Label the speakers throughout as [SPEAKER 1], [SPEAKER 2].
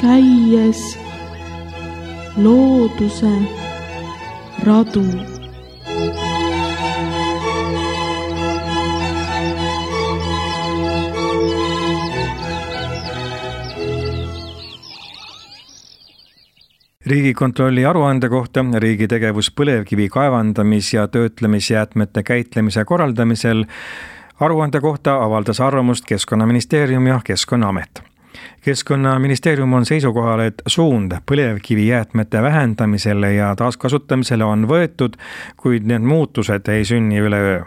[SPEAKER 1] käies looduse radu.
[SPEAKER 2] Riigikontrolli aruande kohta riigi tegevus põlevkivi kaevandamis- ja töötlemisjäätmete käitlemise korraldamisel aruande kohta avaldas arvamust Keskkonnaministeerium ja Keskkonnaamet. Keskkonnaministeerium on seisukohal, et suund põlevkivijäätmete vähendamisele ja taaskasutamisele on võetud, kuid need muutused ei sünni üleöö.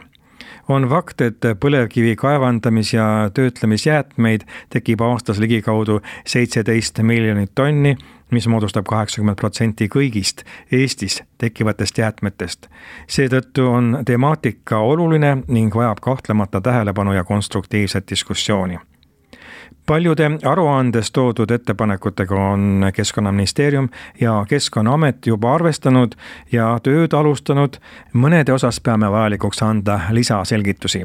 [SPEAKER 2] On fakt, et põlevkivi kaevandamis- ja töötlemisjäätmeid tekib aastas ligikaudu 17 miljonit tonni, mis moodustab 80% kõigist Eestis tekkivatest jäätmetest. Seetõttu on temaatika oluline ning vajab kahtlemata tähelepanu ja konstruktiivset diskussiooni. Paljude aruandes toodud ettepanekutega on Keskkonnaministeerium ja Keskkonnaamet juba arvestanud ja tööd alustanud, mõnede osas peame vajalikuks anda lisaselgitusi.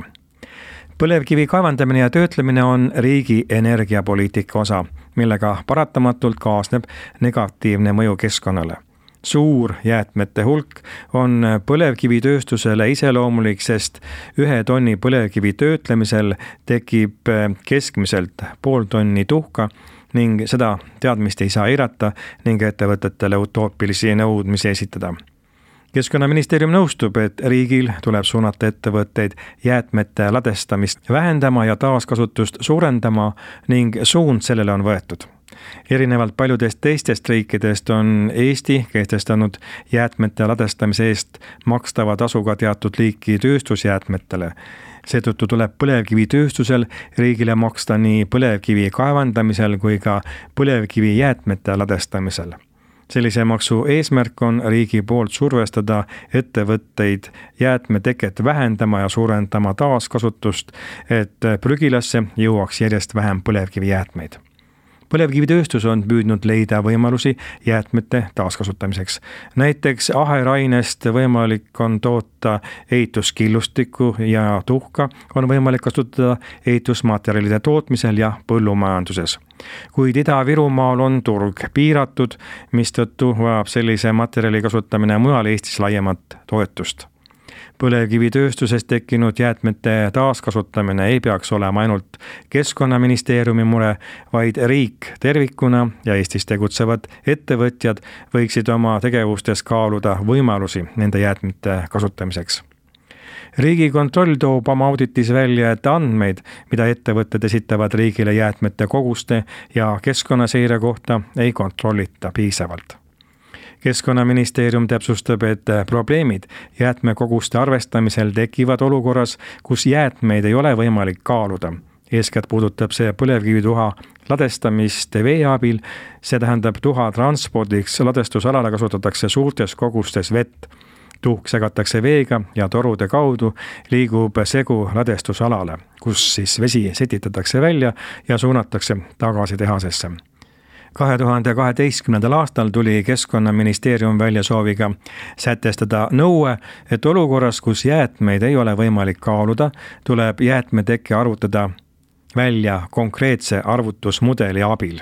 [SPEAKER 2] Põlevkivi kaevandamine ja töötlemine on riigi energiapoliitika osa, millega paratamatult kaasneb negatiivne mõju keskkonnale. Suur jäätmete hulk on põlevkivitööstusele iseloomulik, sest 1 tonni põlevkivi töötlemisel tekib keskmiselt 0,5 tonni tuhka ning seda teadmist ei saa eirata ning ettevõtetele utoopilisi nõudmisi esitada. Keskkonnaministeerium nõustub, et riigil tuleb suunata ettevõtteid jäätmete ladestamist vähendama ja taaskasutust suurendama ning suund sellele on võetud. Erinevalt paljudest teistest riikidest on Eesti kehtestanud jäätmete ladestamise eest makstava tasuga teatud liiki tööstusjäätmetele. Seetõttu tuleb põlevkivitööstusel riigile maksta nii põlevkivi kaevandamisel kui ka põlevkivi jäätmete ladestamisel. Sellise maksu eesmärk on riigi poolt survestada ettevõtteid jäätmeteket vähendama ja suurendama taaskasutust, et prügilasse jõuaks järjest vähem põlevkivijäätmeid. Põlevkivitööstus on püüdnud leida võimalusi jäätmete taaskasutamiseks. Näiteks aherainest võimalik on toota ehituskillustikku ja tuhka on võimalik kasutada ehitusmaterjalide tootmisel ja põllumajanduses. Kuid Ida-Virumaal on turg piiratud, mistõttu vajab sellise materjali kasutamine mujal Eestis laiemat toetust. Põlevkivitööstuses tekkinud jäätmete taaskasutamine ei peaks olema ainult Keskkonnaministeeriumi mure, vaid riik tervikuna ja Eestis tegutsevad ettevõtjad võiksid oma tegevustes kaaluda võimalusi nende jäätmete kasutamiseks. Riigikontroll toob oma auditis välja, et andmeid, mida ettevõtted esitavad riigile jäätmete koguste ja keskkonnaseire kohta, ei kontrollita piisavalt. Keskkonnaministeerium täpsustab, et probleemid jäätmekoguste arvestamisel tekivad olukorras, kus jäätmeid ei ole võimalik kaaluda. Eeskätt puudutab see põlevkivituha ladestamist vee abil, see tähendab tuha transpordiks ladestusalale kasutatakse suurtes kogustes vett. Tuhk segatakse veega ja torude kaudu liigub segu ladestusalale, kus siis vesi setitatakse välja ja suunatakse tagasi tehasesse. 2012. aastal tuli Keskkonnaministeerium välja sooviga sätestada nõue, et olukorras, kus jäätmeid ei ole võimalik kaaluda, tuleb jäätmetekke arvutada välja konkreetse arvutusmudeli abil.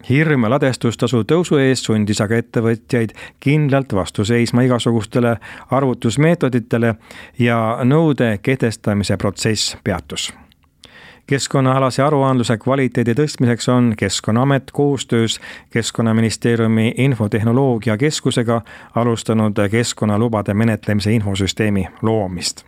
[SPEAKER 2] Hirm ladestustasu tõusu eest sundis aga ettevõtjaid kindlalt vastu seisma igasugustele arvutusmeetoditele ja nõude kehtestamise protsess peatus. Keskkonnaalase aruandluse kvaliteedi tõstmiseks on Keskkonnaamet koostöös Keskkonnaministeeriumi infotehnoloogia keskusega alustanud keskkonnalubade menetlemise infosüsteemi loomist.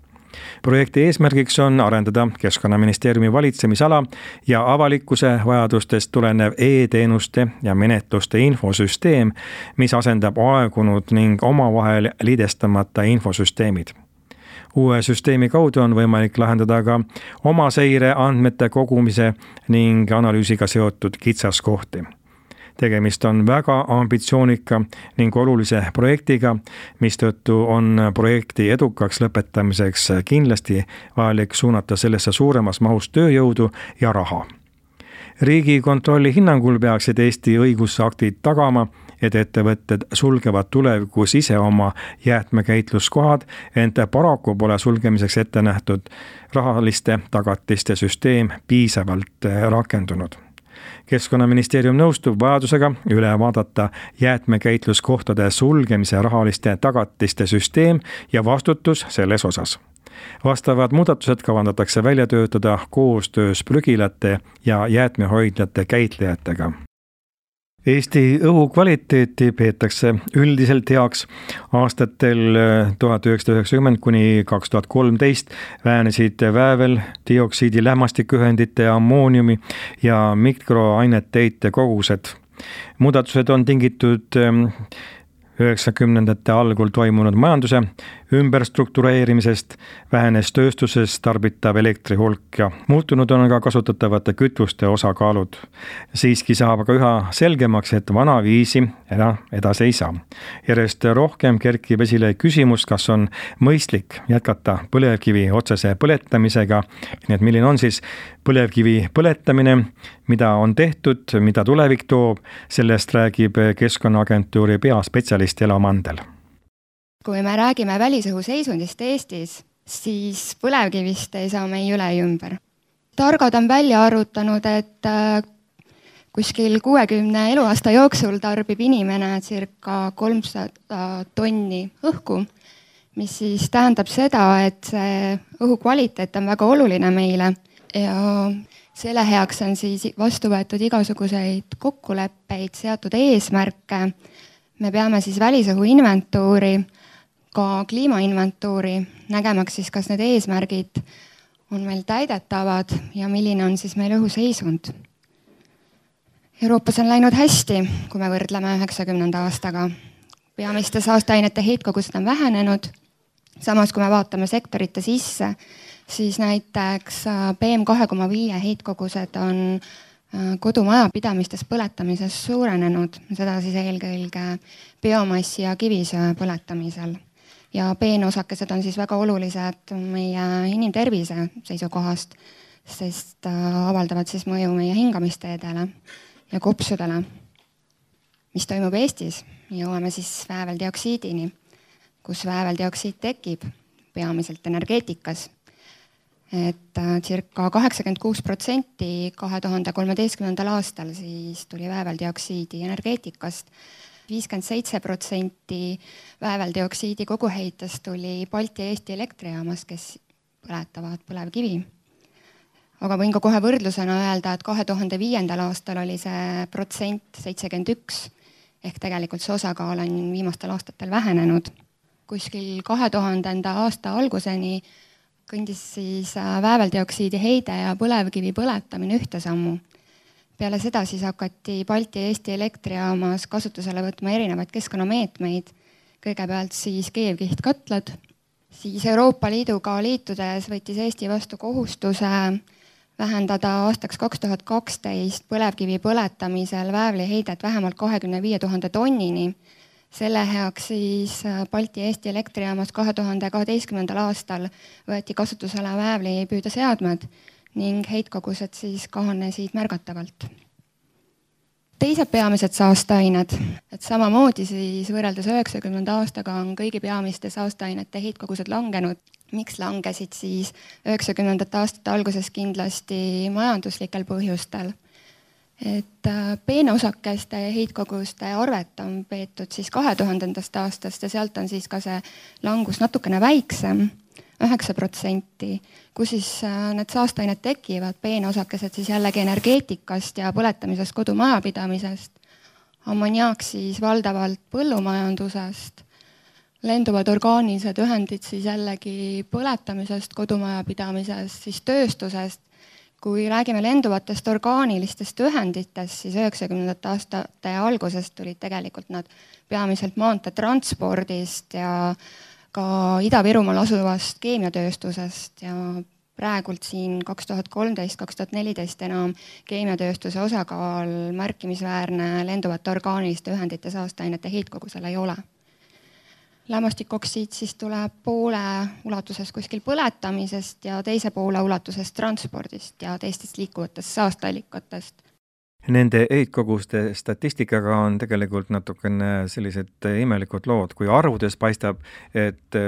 [SPEAKER 2] Projekti eesmärgiks on arendada Keskkonnaministeeriumi valitsemisala ja avalikkuse vajadustest tulenev e-teenuste ja menetluste infosüsteem, mis asendab aegunud ning omavahel liidestamata infosüsteemid. Uue süsteemi kaudu on võimalik lahendada ka omaseire andmete kogumise ning analüüsiga seotud kitsaskohti. Tegemist on väga ambitsioonika ning olulise projektiga, mistõttu on projekti edukaks lõpetamiseks kindlasti vajalik suunata sellesse suuremas mahus tööjõudu ja raha. Riigikontrolli hinnangul peaksid Eesti õigusaktid tagama, et ettevõtted sulgevad tulevikus ise oma jäätmekäitluskohad, ent paraku pole sulgemiseks ette nähtud rahaliste tagatiste süsteem piisavalt rakendunud. Keskkonnaministeerium nõustub vajadusega üle vaadata jäätmekäitluskohtade sulgemise rahaliste tagatiste süsteem ja vastutus selles osas. Vastavad muudatused kavandatakse välja töötada koostöös prügilate ja jäätmehoidlate käitlejatega. Eesti õhu kvaliteeti peetakse üldiselt heaks. Aastatel 1990 kuni 2013 vähenesid väävel, dioksiidi, lämmastikühendite, ammooniumi ja mikroainete heite kogused. Muudatused on tingitud 90ndate algul toimunud majanduse ümberstruktureerimisest, vähenes tööstuses tarbitav elektri hulk ja muutunud on ka kasutatavate kütuste osakaalud. Siiski saab aga üha selgemaks, et vana viisi edasi ei saa. Järjest rohkem kerkib esile küsimus, kas on mõistlik jätkata põlevkivi otsese põletamisega, nii et milline on siis põlevkivi põletamine, mida on tehtud, mida tulevik toob, sellest räägib Keskkonnaagentuuri peaspetsialist Elo Mandel.
[SPEAKER 3] Kui me räägime välisõhu seisundist Eestis, siis põlevkivist ei saa me ei üle ja ümber. Targad on välja arvutanud, et kuskil 60 eluaasta jooksul tarbib inimene circa 300 tonni õhku, mis siis tähendab seda, et see õhu kvaliteet on väga oluline meile ja selle heaks on siis vastu võetud igasuguseid kokkuleppeid, seatud eesmärke. Me peame siis välisõhu inventuuri, ka kliimainventuuri, nägemaks siis, kas need eesmärgid on meil täidetavad ja milline on siis meil õhuseisund. Euroopas on läinud hästi, kui me võrdleme 90. aastaga. Peamiste saasteainete heitkogused on vähenenud. Samas, kui me vaatame sektorite sisse, siis näiteks PM2,5 heitkogused on kodumajapidamistes põletamises suurenenud, seda siis eelkõige biomassi ja kivisöe põletamisel. Ja peenosakesed on siis väga olulised meie inimtervise seisukohast, sest avaldavad siis mõju meie hingamisteedele ja kopsudele. Mis toimub Eestis? Jõuame siis vääveldioksiidini, kus vääveldioksiid tekib peamiselt energeetikas. Et circa 86% 2013. aastal siis tuli vääveldioksiidi energeetikast. 57% vääveldioksiidi koguheitest tuli Balti Eesti elektrijaamas, kes põletavad põlevkivi. Aga võin ka kohe võrdlusena öelda, et 2005. aastal oli see protsent 71, ehk tegelikult see osakaal on viimastel aastatel vähenenud. Kuskil 2000. aasta alguseni kõndis siis vääveldioksiidi heide ja põlevkivi põletamine ühte sammu. Peale seda siis hakati Balti Eesti elektrijaamas kasutusele võtma erinevaid keskkonnameetmeid, kõigepealt siis keevkihtkatlad, siis Euroopa Liiduga liitudes võttis Eesti vastu kohustuse vähendada aastaks 2012 põlevkivi põletamisel väävliheidet vähemalt 25 000 tonnini. Selle heaks siis Balti Eesti elektrijaamas 2012. aastal võeti kasutusele väävlipüüdeseadmed ning heitkogused siis kahanesid märgatavalt. Teised peamised saasteained, et samamoodi siis võrreldes 90. aastaga on kõigi peamiste saasteainete heitkogused langenud. Miks langesid siis 90. aastate alguses kindlasti majanduslikel põhjustel? Et peenosakeste heitkoguste arvet on peetud siis 2000. aastast ja sealt on siis ka see langus natukene väiksem, 9%, kus siis need saasteained tekivad, peenosakesed siis jällegi energeetikast ja põletamisest kodumajapidamisest, ammoniaak siis valdavalt põllumajandusest, lenduvad orgaanilised ühendid siis jällegi põletamisest, kodumajapidamisest, siis tööstusest. Kui räägime lenduvatest orgaanilistest ühenditest, siis 90. aastate algusest tulid tegelikult nad peamiselt maanteetranspordist ja ka Ida-Virumaal asuvast keemiatööstusest ja praegult siin 2013-2014 enam keemiatööstuse osakaal märkimisväärne lenduvate orgaaniliste ühendite saasteainete heitkogusel ei ole. Lämmastikoksiid siis tuleb poole ulatuses kuskil põletamisest ja teise poole ulatuses transpordist ja teistest liikuvatest saasteallikatest.
[SPEAKER 2] Nende heitkoguste statistikaga on tegelikult natukene sellised imelikud lood, kui arvudes paistab, et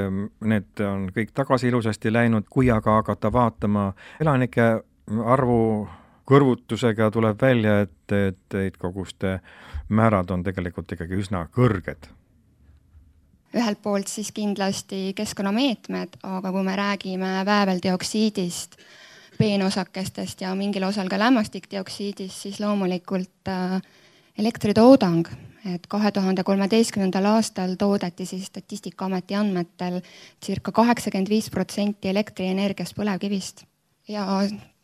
[SPEAKER 2] need on kõik tagasi ilusasti läinud, kui aga hakata vaatama elanike arvu kõrvutusega tuleb välja, et heitkoguste määrad on tegelikult ikkagi üsna kõrged.
[SPEAKER 3] Ühelt poolt siis kindlasti keskkonnameetmed, aga kui me räägime vääveldioksiidist, peenosakestest ja mingil osal ka lämmastikdioksiidist, siis loomulikult elektritoodang. Et 2013. aastal toodeti siis Statistikaameti andmetel circa 85% elektrienergiast põlevkivist. Ja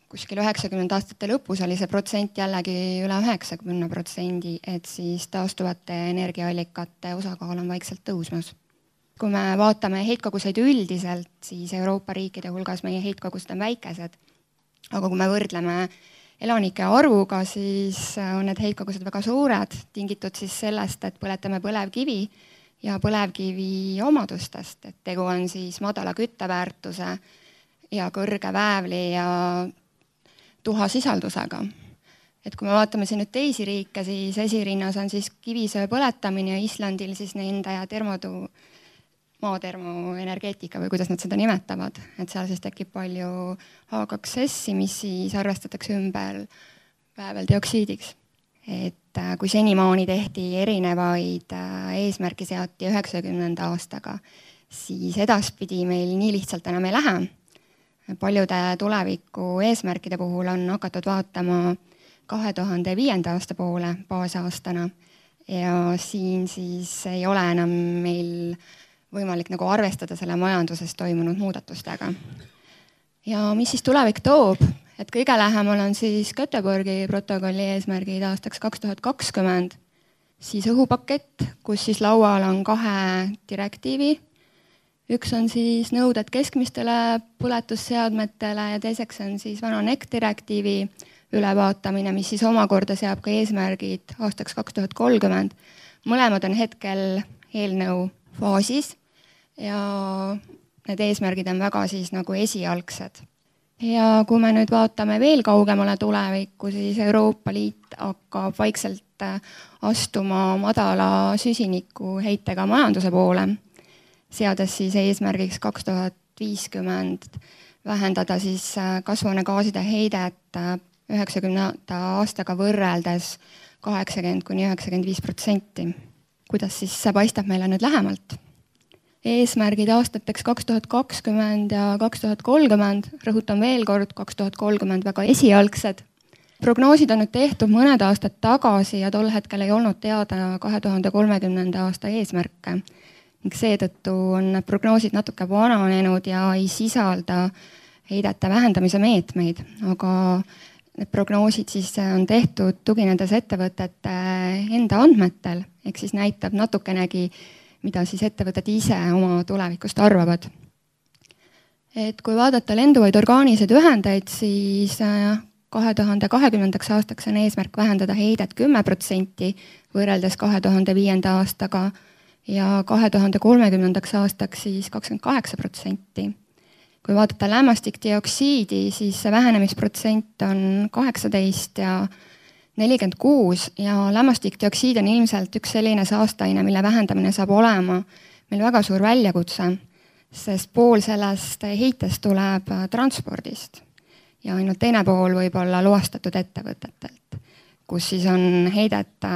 [SPEAKER 3] kuskil 90 aastate lõpus oli see protsent jällegi üle 90%, et siis taastuvate energiaallikate osakaal on vaikselt tõusmas. Kui me vaatame heitkoguseid üldiselt, siis Euroopa riikide hulgas meie heitkogused on väikesed. Aga kui me võrdleme elanike arvuga, siis on need heitkogused väga suured, tingitud siis sellest, et põletame põlevkivi ja põlevkivi omadustest. Et tegu on siis madala kütteväärtuse ja kõrge väävli ja tuhasisaldusega. Et kui me vaatame siin nüüd teisi riike, siis esirinnas on siis kivisöe põletamine ja Islandil siis nende maatermoenergeetika või kuidas nad seda nimetavad. Et seal siis tekib palju H2S-i, mis siis arvestatakse ümber vääveldioksiidiks. Et kui senimaani tehti erinevaid eesmärki seati 90. aastaga, siis edaspidi meil nii lihtsalt enam ei lähe. Paljude tuleviku eesmärkide puhul on hakatud vaatama 2005. aasta poole baasaastana ja siin siis ei ole enam meil võimalik nagu arvestada selle majanduses toimunud muudatustega. Ja mis siis tulevik toob? Et kõige lähemal on siis Göteborgi protokolli eesmärgid aastaks 2020, siis õhupakett, kus siis laual on 2 direktiivi. Üks on siis nõuded keskmistele põletusseadmetele ja teiseks on siis vana NEC direktiivi ülevaatamine, mis siis omakorda seab ka eesmärgid aastaks 2030. Mõlemad on hetkel eelnõu faasis ja need eesmärgid on väga siis nagu esialgsed. Ja kui me nüüd vaatame veel kaugemale tulevikku, siis Euroopa Liit hakkab vaikselt astuma madala süsiniku heitega majanduse poole, seades siis eesmärgiks 2050 vähendada siis kasvuhoonegaaside heidet 90. aastaga võrreldes 80–95%. Kuidas siis see paistab meile nüüd lähemalt? Eesmärgid aastateks 2020 ja 2030, rõhutan veel kord, 2030 väga esialgsed. Prognoosid on nüüd tehtud mõned aastad tagasi ja tol hetkel ei olnud teada 2030. aasta eesmärke. Ning seetõttu on prognoosid natuke vananenud ja ei sisalda heidete vähendamise meetmeid, aga need prognoosid siis on tehtud tuginedes ettevõtete enda andmetel, ehk siis näitab natukenegi, mida siis ettevõtted ise oma tulevikust arvavad. Et kui vaadata lenduvaid orgaanilised ühendeid, siis 2020. aastaks on eesmärk vähendada heidet 10% võrreldes 2005. aastaga ja 2030. aastaks siis 28%. Kui vaadata lämmastikdioksiidi, siis see vähenemisprotsent on 18 ja 46 ja lämmastikdioksiid on ilmselt üks selline saasteaine, mille vähendamine saab olema meil väga suur väljakutse, sest pool sellest heitest tuleb transpordist ja ainult teine pool võib olla loastatud ettevõtetelt, kus siis on heidet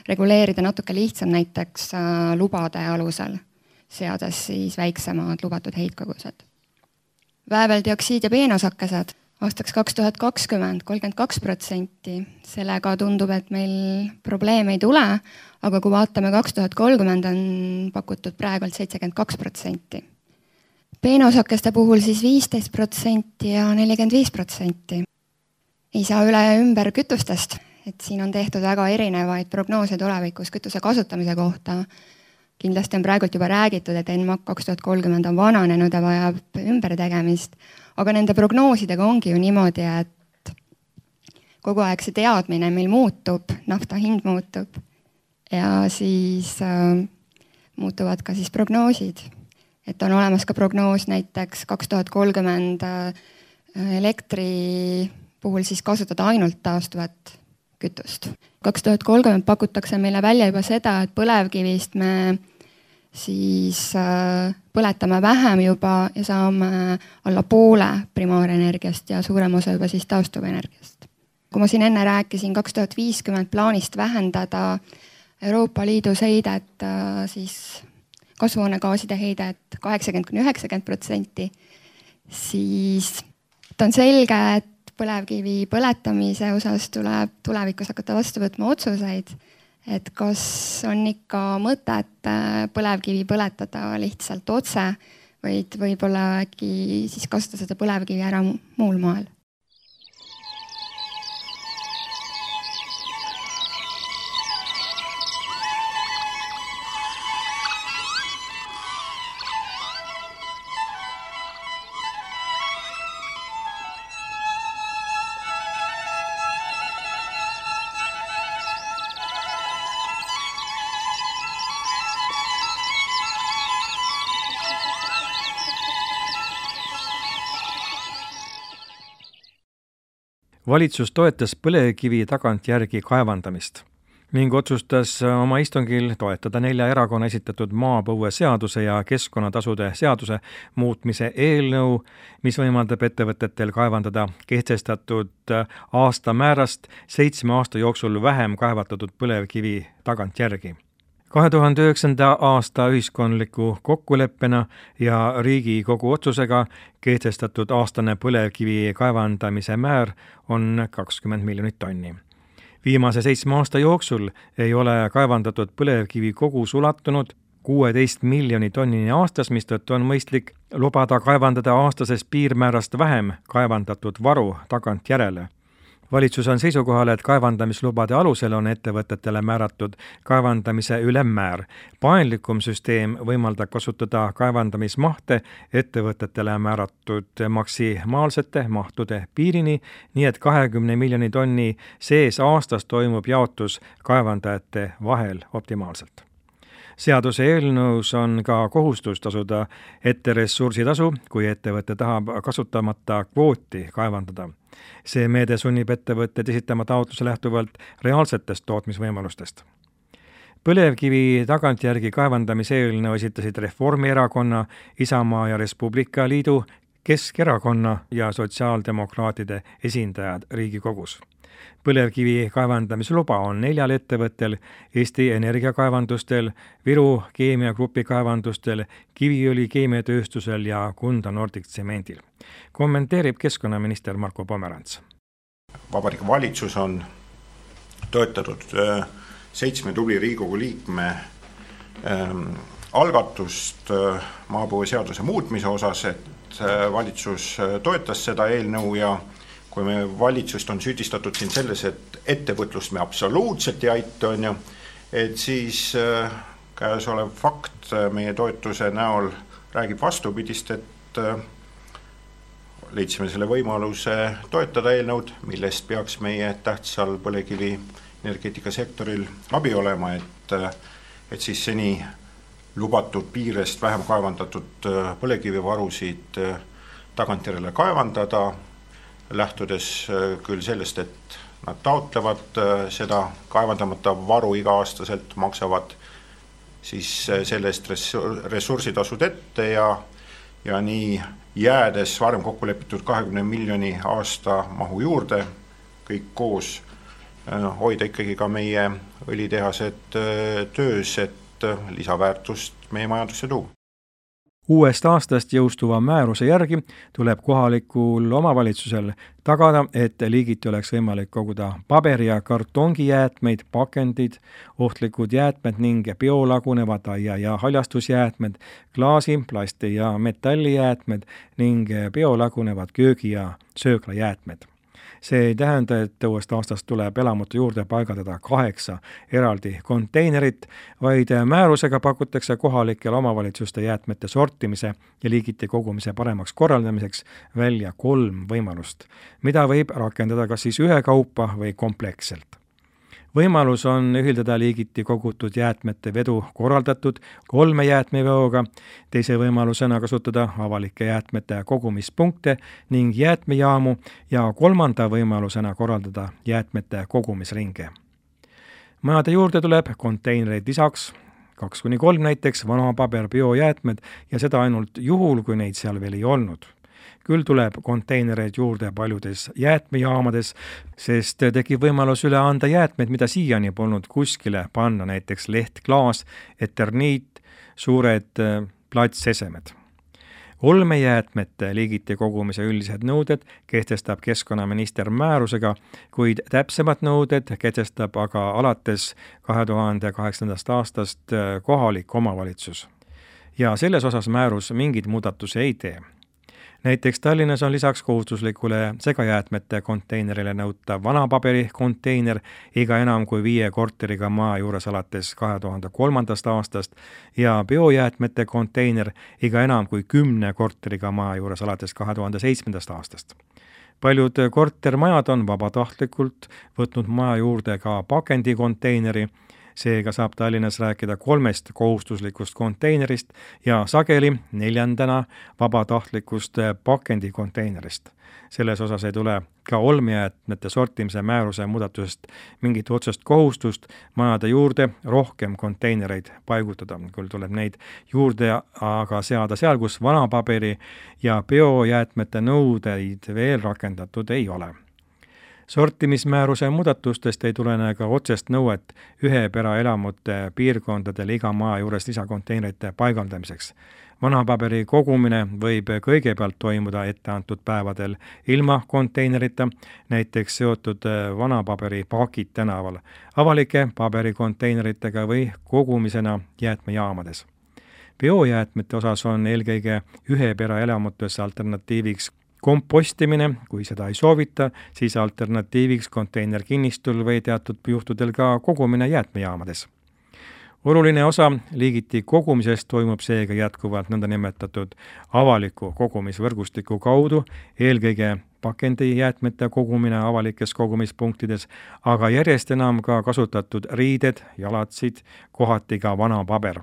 [SPEAKER 3] reguleerida natuke lihtsam näiteks lubade alusel, seades siis väiksemad lubatud heitkogused. Vääveldioksiid ja peenosakesed aastaks 2020 32%, sellega tundub, et meil probleeme ei tule, aga kui vaatame 2030 on pakutud praegult 72%. Peenosakeste puhul siis 15% ja 45%. Ei saa üle ümber kütustest, et siin on tehtud väga erinevaid prognoose tulevikus kütuse kasutamise kohta. Kindlasti on praegult juba räägitud, et NMAK 2030 on vananenud ja vajab ümbertegemist, aga nende prognoosidega ongi ju niimoodi, et kogu aeg see teadmine meil muutub, nafta hind muutub ja siis muutuvad ka siis prognoosid. Et on olemas ka prognoos näiteks 2030 elektri puhul siis kasutada ainult taastuvat kütust. 2030 pakutakse meile välja juba seda, et põlevkivist me siis põletame vähem juba ja saame alla poole primaarenergiast ja suurem osa juba siis taastuvenergiast. kui ma siin enne rääkisin 2050 plaanist vähendada Euroopa Liidus heidet, siis kasvuhoonegaaside heidet 80–90%, siis on selge, et põlevkivi põletamise osas tuleb tulevikus hakata vastu võtma otsuseid, et kas on ikka mõtet põlevkivi põletada lihtsalt otse, vaid võib-olla äkki siis kasutada seda põlevkivi ära muul moel.
[SPEAKER 2] Valitsus toetas põlevkivi tagantjärgi kaevandamist ning otsustas oma istungil toetada 4 erakonna esitatud maapõueseaduse ja keskkonnatasude seaduse muutmise eelnõu, mis võimaldab ettevõtetel kaevandada kehtestatud aastamäärast 7 aasta jooksul vähem kaevandatud põlevkivi tagantjärgi. 2009. aasta ühiskondliku kokkuleppena ja Riigikogu otsusega kehtestatud aastane põlevkivi kaevandamise määr on 20 miljonit tonni. Viimase 7 aasta jooksul ei ole kaevandatud põlevkivi kogus ulatunud 16 miljoni tonnini aastas, mistõttu on mõistlik lubada kaevandada aastasest piirmäärast vähem kaevandatud varu tagantjärele. Valitsus on seisukohal, et kaevandamislubade alusel on ettevõtetele määratud kaevandamise ülemmäär. Paindlikum süsteem võimaldab kasutada kaevandamismahte ettevõtetele määratud maksimaalsete mahtude piirini, nii et 20 miljoni tonni sees aastas toimub jaotus kaevandajate vahel optimaalselt. Seaduse eelnõus on ka kohustus tasuda ette ressursitasu, kui ettevõte tahab kasutamata kvooti kaevandada. See meede sunnib ettevõtted esitama taotluse lähtuvalt reaalsetest tootmisvõimalustest. Põlevkivi tagantjärgi kaevandamise eelnõu esitasid Reformierakonna, Isamaa ja Res Publica Liidu, Keskerakonna ja Sotsiaaldemokraatide esindajad Riigikogus. Põlevkivi kaevandamisluba on 4 ettevõttel, Eesti Energiakaevandustel, Viru Keemiagrupi kaevandustel, Kiviõli keemiatööstusel ja Kunda Nordic Tsemendil. Kommenteerib keskkonnaminister Marko Pomerants.
[SPEAKER 4] Vabariigi Valitsus on toetatud 7 tubli Riigikogu liikme algatust maapõueseaduse muutmise osas, et valitsus toetas seda eelnõu ja kui me valitsust on süüdistatud siin selles, et ettevõtlust me absoluutselt ei aita, et siis käesolev fakt meie toetuse näol räägib vastupidist, et leidsime selle võimaluse toetada eelnõud, millest peaks meie tähtsal põlevkivi energeetikasektoril abi olema, et siis seni lubatud piirest vähem kaevandatud põlevkivivarusid tagantjärele kaevandada, lähtudes küll sellest, et nad taotlevad seda kaevandamata varu iga-aastaselt, maksavad siis sellest ressursitasud ette ja nii jäädes varem kokku lepitud 20 miljoni aasta mahu juurde, kõik koos hoida ikkagi ka meie õlitehased töös, et lisaväärtust meie majandusse tuua.
[SPEAKER 2] Uuest aastast jõustuva määruse järgi tuleb kohalikul omavalitsusel tagada, et liigiti oleks võimalik koguda paberi- ja kartongijäätmeid, pakendid, ohtlikud jäätmed ning biolagunevad aia- ja haljastusjäätmed, klaasi, plasti- ja metallijäätmed ning biolagunevad köögi- ja sööklajäätmed. See ei tähenda, et uuest aastast tuleb elamutu juurde paigaldada 8 eraldi konteinerit, vaid määrusega pakutakse kohalikele omavalitsuste jäätmete sortimise ja liigiti kogumise paremaks korraldamiseks välja 3 võimalust, mida võib rakendada kas siis ühekaupa või kompleksselt. Võimalus on ühildada liigiti kogutud jäätmete vedu korraldatud 3 jäätmeveoga, teise võimalusena kasutada avalike jäätmete kogumispunkte ning jäätmejaamu ja 3. võimalusena korraldada jäätmete kogumisringe. Majade juurde tuleb konteinereid lisaks 2-3 näiteks vanapaber biojäätmed ja seda ainult juhul, kui neid seal veel ei olnud. Küll tuleb konteinereid juurde paljudes jäätmejaamades, sest tekib võimalus üle anda jäätmeid, mida siiani polnud kuskile panna, näiteks leht, klaas, eterniit, suured platsesemed. Olmejäätmete liigiti kogumise üldised nõuded kehtestab keskkonnaminister määrusega, kuid täpsemad nõuded kehtestab aga alates 2008. aastast kohalik omavalitsus. Ja selles osas määrus mingid muudatusi ei tee. Näiteks Tallinnas on lisaks kohustuslikule segajäätmete konteinerile nõutav vanapaberi konteiner iga enam kui 5 korteriga maja juures alates 2003. aastast ja biojäätmete konteiner iga enam kui 10 korteriga maja juures alates 2007. aastast. Paljud kortermajad on vabatahtlikult võtnud maja juurde ka pakendikonteineri, seega saab Tallinnas rääkida 3 kohustuslikust konteinerist ja sageli 4. vabatahtlikust pakendikonteinerist. Selles osas ei tule ka olmejäätmete sortimise määruse muudatusest mingit otsest kohustust majade juurde rohkem konteinereid paigutada. Küll tuleb neid juurde aga seada seal, kus vanapaberi ja biojäätmete nõudeid veel rakendatud ei ole. Sortimismääruse muudatustest ei tulene ka otsest nõuet üheperaelamute piirkondadel iga maja juures lisakonteinerite paigaldamiseks. Vanapaberi kogumine võib kõigepealt toimuda etteantud päevadel ilma konteinerita, näiteks seotud vanapaberi pakid tänaval, avalike paberikonteineritega või kogumisena jäätmejaamades. Biojäätmete osas on eelkõige üheperaelamutes alternatiiviks kompostimine, kui seda ei soovita, siis alternatiiviks konteinerkinnistul või teatud juhtudel ka kogumine jäätmejaamades. Oluline osa liigiti kogumisest toimub seega jätkuvalt nõndanimetatud avaliku kogumisvõrgustiku kaudu, eelkõige pakendijäätmete kogumine avalikes kogumispunktides, aga järjest enam ka kasutatud riided, jalatsid, kohati ka vanapaber.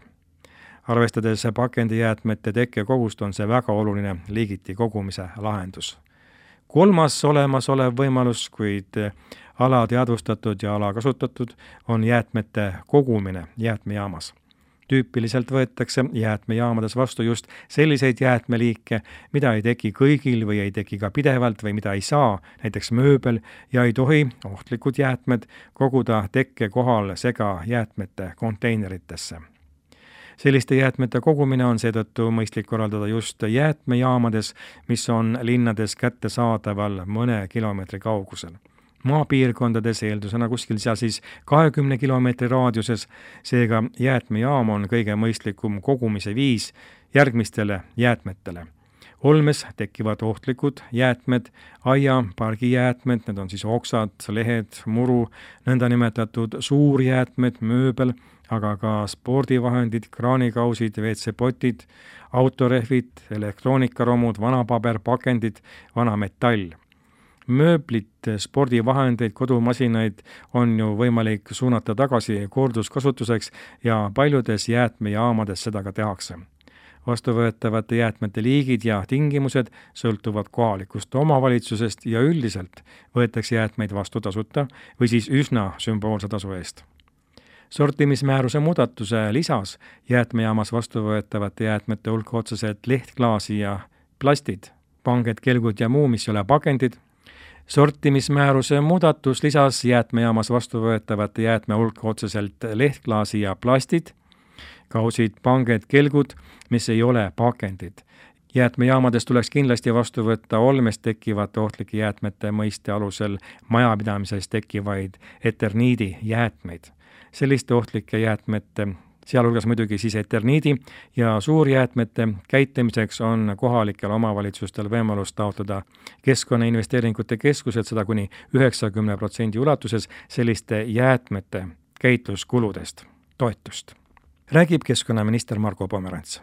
[SPEAKER 2] Arvestades pakendijäätmete tekkekogust on see väga oluline liigiti kogumise lahendus. 3. olemasolev võimalus, kuid alateadvustatud ja alakasutatud, on jäätmete kogumine jäätmejaamas. Tüüpiliselt võetakse jäätmejaamades vastu just selliseid jäätmeliike, mida ei teki kõigil või ei teki ka pidevalt või mida ei saa, näiteks mööbel, ja ei tohi ohtlikud jäätmed koguda tekke kohal segajäätmete konteineritesse. Selliste jäätmete kogumine on seetõttu mõistlik korraldada just jäätmejaamades, mis on linnades kättesaadaval mõne kilomeetri kaugusel. Maapiirkondades eeldusena kuskil seal siis 20 kilomeetri raadiuses, seega jäätmejaam on kõige mõistlikum kogumise viis järgmistele jäätmetele. Olmes tekivad ohtlikud jäätmed, aia, pargijäätmed, need on siis oksad, lehed, muru, nõndanimetatud suurjäätmed, mööbel, aga ka spordivahendid, kraanikausid, WC-potid, autorehvid, elektroonikaromud, vanapaber, pakendid, vanametall. Mööblit, spordivahendeid, kodumasinaid on ju võimalik suunata tagasi korduskasutuseks ja paljudes jäätmejaamades seda ka tehakse. Vastuvõetavate jäätmete liigid ja tingimused sõltuvad kohalikust omavalitsusest ja üldiselt võetakse jäätmeid vastu tasuta või siis üsna sümboolse tasu eest. Sortimismääruse muudatuse lisas jäätmejaamas vastuvõetavate jäätmete hulka otseselt lehtklaasi ja plastid, panged, kelgud ja muu, mis ei ole pakendid. Sortimismääruse muudatus lisas jäätmejaamas vastuvõetavate jäätme hulka otseselt lehtklaasi ja plastid, kausid, panged, kelgud, mis ei ole pakendid. Jäätmejaamades tuleks kindlasti vastu võtta olmes tekkivate ohtlike jäätmete mõiste alusel majapidamises tekkivaid eterniidi jäätmeid. Selliste ohtlike jäätmete, sealhulgas muidugi siis eterniidi ja suurjäätmete käitlemiseks on kohalikel omavalitsustel võimalus taotleda Keskkonnainvesteeringute Keskuselt seda kuni 90% ulatuses selliste jäätmete käitluskuludest toetust. Räägib keskkonnaminister Marko Pomerants.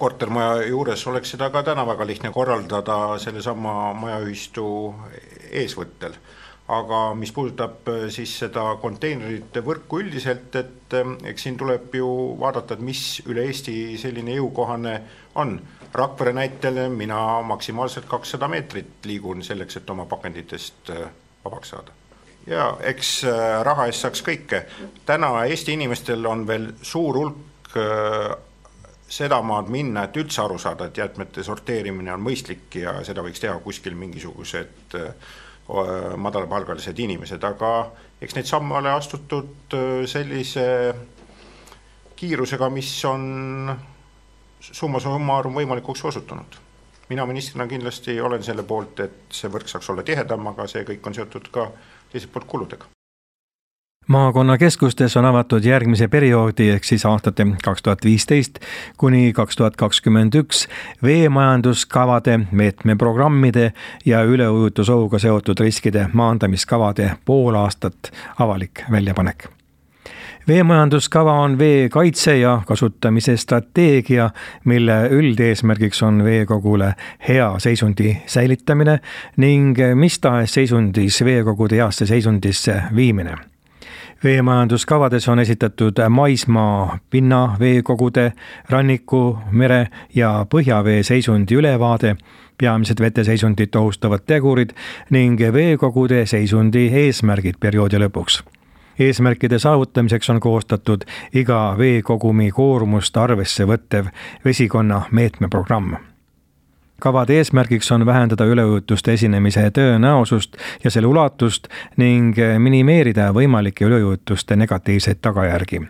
[SPEAKER 4] Kortermaja juures oleks seda ka täna väga lihtne korraldada sellesama majaühistu eesvõttel. Aga mis puudutab siis seda konteinerite võrku üldiselt, et eks siin tuleb ju vaadata, et mis üle Eesti selline jõukohane on. Rakvere näitel mina maksimaalselt 200 meetrit liigun selleks, et oma pakenditest vabaks saada. Ja eks raha eest saaks kõike. Täna Eesti inimestel on veel suur hulk seda maad minna, et üldse aru saada, et jäätmete sorteerimine on mõistlik ja seda võiks teha kuskil mingisugused madalapalgalised inimesed, aga eks neid samme ole astutud sellise kiirusega, mis on summa summarum võimalikuks osutunud. Mina ministrina kindlasti olen selle poolt, et see võrk saaks olla tihedam, aga see kõik on seotud ka teiselt poolt kuludega.
[SPEAKER 2] Maakonnakeskustes on avatud järgmise perioodi ehk siis aastate 2015 kuni 2021 veemajanduskavade, meetmeprogrammide ja üleujutusohuga seotud riskide maandamiskavade poolaastat avalik väljapanek. Veemajanduskava on vee kaitse ja kasutamise strateegia, mille üldeesmärgiks on veekogule hea seisundi säilitamine ning mis tahes seisundis veekogude heasse seisundisse viimine. Veemajanduskavades on esitatud maismaa, pinna, veekogude, ranniku, mere ja põhjavee seisundi ülevaade, peamised veteseisundit ohustavad tegurid ning veekogude seisundi eesmärgid perioodi lõpuks. Eesmärkide saavutamiseks on koostatud iga veekogumi koormust arvesse võttev vesikonna meetmeprogramm. Kavade eesmärgiks on vähendada üleujutuste esinemise tõenäosust ja selle ulatust ning minimeerida võimalike üleujutuste negatiivseid tagajärgi.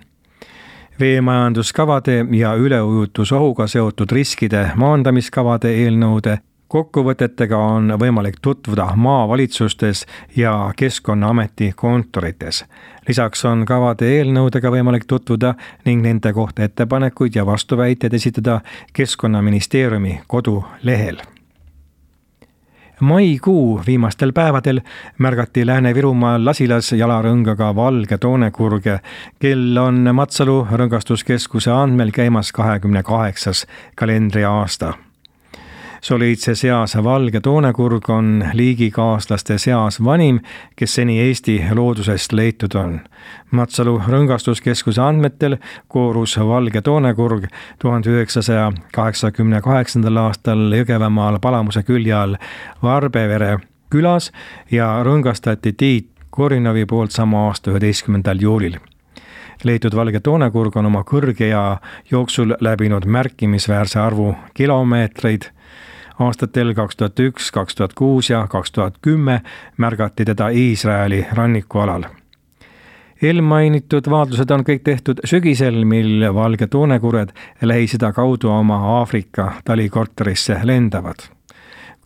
[SPEAKER 2] Veemajanduskavade ja üleujutusohuga seotud riskide maandamiskavade eelnõude kokkuvõtetega on võimalik tutvuda maavalitsustes ja Keskkonnaameti kontorites. Lisaks on kavade eelnõudega võimalik tutvuda ning nende kohta ettepanekuid ja vastuväiteid esitada Keskkonnaministeeriumi kodulehel. Maikuu viimastel päevadel märgati Lääne-Virumaal Lasilas jalarõngaga valge toonekurge, kel on Matsalu rõngastuskeskuse andmel käimas 28. kalendriaasta. Soliidse seas valge toonekurg on liigikaaslaste seas vanim, kes seni Eesti loodusest leitud on. Matsalu rõngastuskeskuse andmetel koorus valge toonekurg 1988. aastal Jõgevamaal Palamuse külje all Varbevere külas ja rõngastati Tiit Korinovi poolt sama aasta 11. juulil. Leitud valge toonekurg on oma kõrge ja jooksul läbinud märkimisväärse arvu kilomeetreid. Aastatel 2001, 2006 ja 2010 märgati teda Iisraeli rannikualal. Eelmainitud vaatlused on kõik tehtud sügisel, mil valge toonekurjed Lähis-Ida kaudu oma Aafrika talikorterisse lendavad.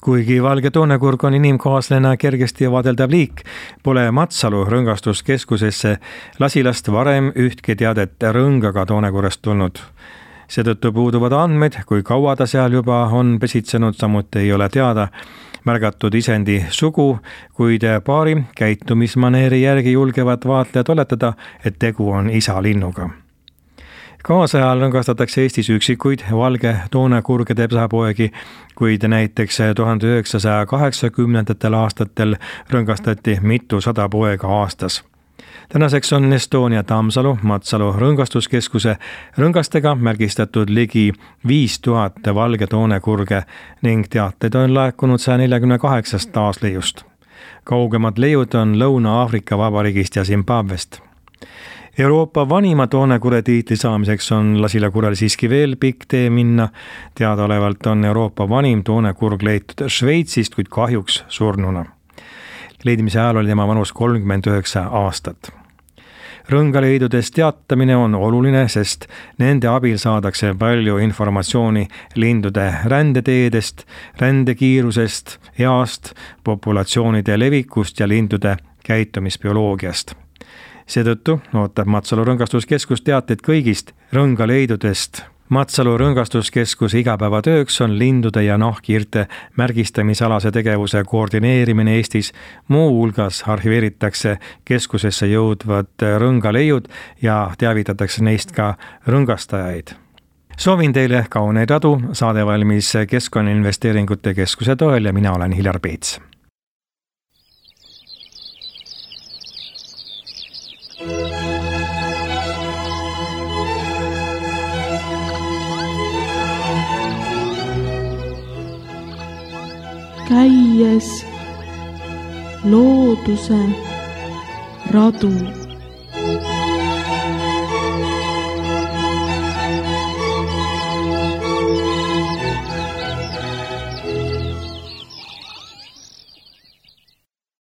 [SPEAKER 2] Kuigi valge toonekurg on inimkaaslane kergesti vaadeldav liik, pole Matsalu rõngastuskeskusesse Lasilast varem ühtki teadet rõngaga toonekurjest tulnud. Seetõttu puuduvad andmed, kui kaua ta seal juba on pesitsenud, samuti ei ole teada märgatud isendi sugu, kuid paari käitumismaneeri järgi julgevad vaatlejad oletada, et tegu on isalinnuga. Kaasajal rõngastatakse Eestis üksikuid valge toonekurgede pesapoegi, kuid näiteks 1980. aastatel rõngastati mitusada poega aastas. Tänaseks on Estonia Tammsalu Matsalu rõngastuskeskuse rõngastega märgistatud ligi 5000 valge toonekurge ning teateid on laekunud 148 taasleiust. Kaugemad leiud on Lõuna-Aafrika Vabariigist ja Zimbabwest. Euroopa vanima toonekurje tiitli saamiseks on Lasila kurjal siiski veel pikk tee minna. Teadaolevalt on Euroopa vanim toonekurg leitud Šveitsist, kuid kahjuks surnuna. Leidimise ajal oli tema vanus 39 aastat. Rõngaleidudest teatamine on oluline, sest nende abil saadakse palju informatsiooni lindude rändeteedest, rändekiirusest, east, populatsioonide levikust ja lindude käitumisbioloogiast. Seetõttu ootab Matsalu rõngastuskeskus teateid kõigist rõngaleidudest. Matsalu rõngastuskeskuse igapäevatööks on lindude ja nahkhiirte märgistamisalase tegevuse koordineerimine Eestis. Muu hulgas arhiveeritakse keskusesse jõudvad rõngaleiud ja teavitatakse neist ka rõngastajaid. Soovin teile kauneid radu, saade valmis Keskkonnainvesteeringute Keskuse toel ja mina olen Hiljar Peets.
[SPEAKER 1] Käies looduse radu.